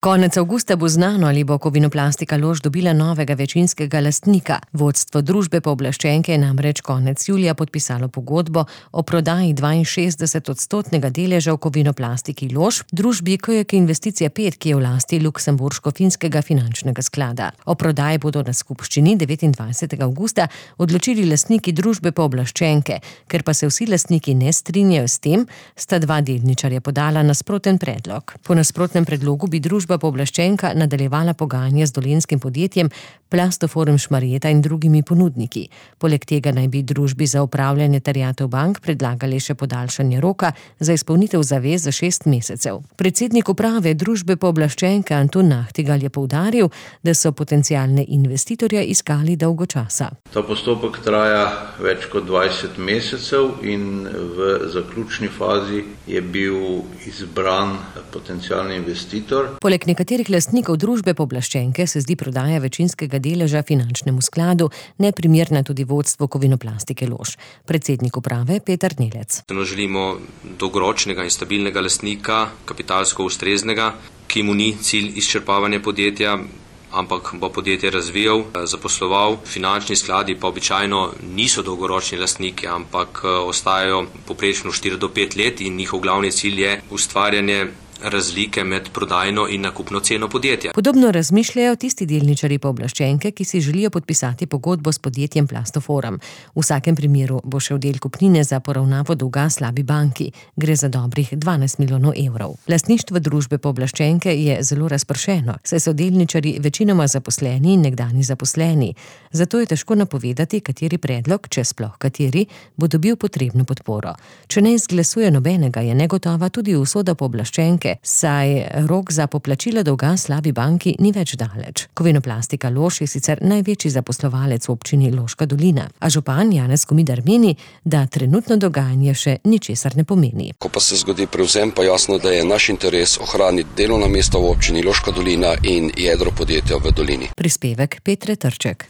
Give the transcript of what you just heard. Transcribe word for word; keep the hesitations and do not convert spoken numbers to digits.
Konec avgusta bo znano, ali bo Kovinoplastika Lož dobila novega večinskega lastnika. Vodstvo družbe pooblaščenke je namreč konec julija podpisalo pogodbo o prodaji dvainšestdesetodstotnega deleža v Kovinoplastiki Lož, družbi K J K Investicije pet, ki je v lasti Luksemburško-finskega finančnega sklada. O prodaji bodo na skupščini devetindvajsetega avgusta odločili lastniki družbe pooblaščenke. Ker pa se vsi lastniki ne strinjajo s tem, sta dva delničarja podala nasproten predlog. Po nasprotnem predlogu bi družba pooblaščenka nadaljevala pogajanja z dolenjskim podjetjem Plastoforum Šmarjeta in drugimi ponudniki. Poleg tega naj bi družbi za upravljanje terjatev bank predlagali še podaljšanje roka za izpolnitev zavez za šest mesecev. Predsednik uprave družbe pooblaščenke Antun Nahtigal je poudaril, da so potencialne investitorje iskali dolgo časa. Ta postopek traja več kot dvajset mesecev in v zaključni fazi je bil izbran potencialni investitor. Poleg nekaterih lastnikov družbe pooblaščenke se zdi prodaja večinskega deleža finančnemu skladu neprimerna tudi vodstvu Kovinoplastike Lož. Predsednik uprave Peter Nelec. Želimo dolgoročnega in stabilnega lastnika, kapitalsko ustreznega, ki mu ni cilj izčrpavanje podjetja, ampak bo podjetje razvijal, zaposloval. Finančni skladi pa običajno niso dolgoročni lastniki, ampak ostajajo poprečno štiri do pet let in njihov glavni cilj je ustvarjanje razlike med prodajno in nakupno ceno podjetja. Podobno razmišljajo tisti delničarji pooblaščenke, ki si želijo podpisati pogodbo s podjetjem Plastoforum. V vsakem primeru bo šel del kupnine za poravnavo dolga slabi banki. Gre za dobrih dvanajst milijonov evrov. Lastništvo družbe pooblaščenke je zelo razpršeno, saj so delničarji večinoma zaposleni in nekdani zaposleni. Zato je težko napovedati, kateri predlog, če sploh kateri, bo dobil potrebno podporo. Če ne izglasuje nobenega, je negotova tudi usoda pooblaščenke, saj rok za poplačilo dolga slabi banki ni več daleč. Kovinoplastika Lož je sicer največji zaposlovalec v občini Loška dolina, a župan Janez Komidar meni, da trenutno dogajanje še ničesar ne pomeni. Ko pa se zgodi prevzem, pa jasno, da je naš interes ohraniti delovna mesta v občini Loška dolina in jedro podjetja v dolini. Prispevek Petre Trček.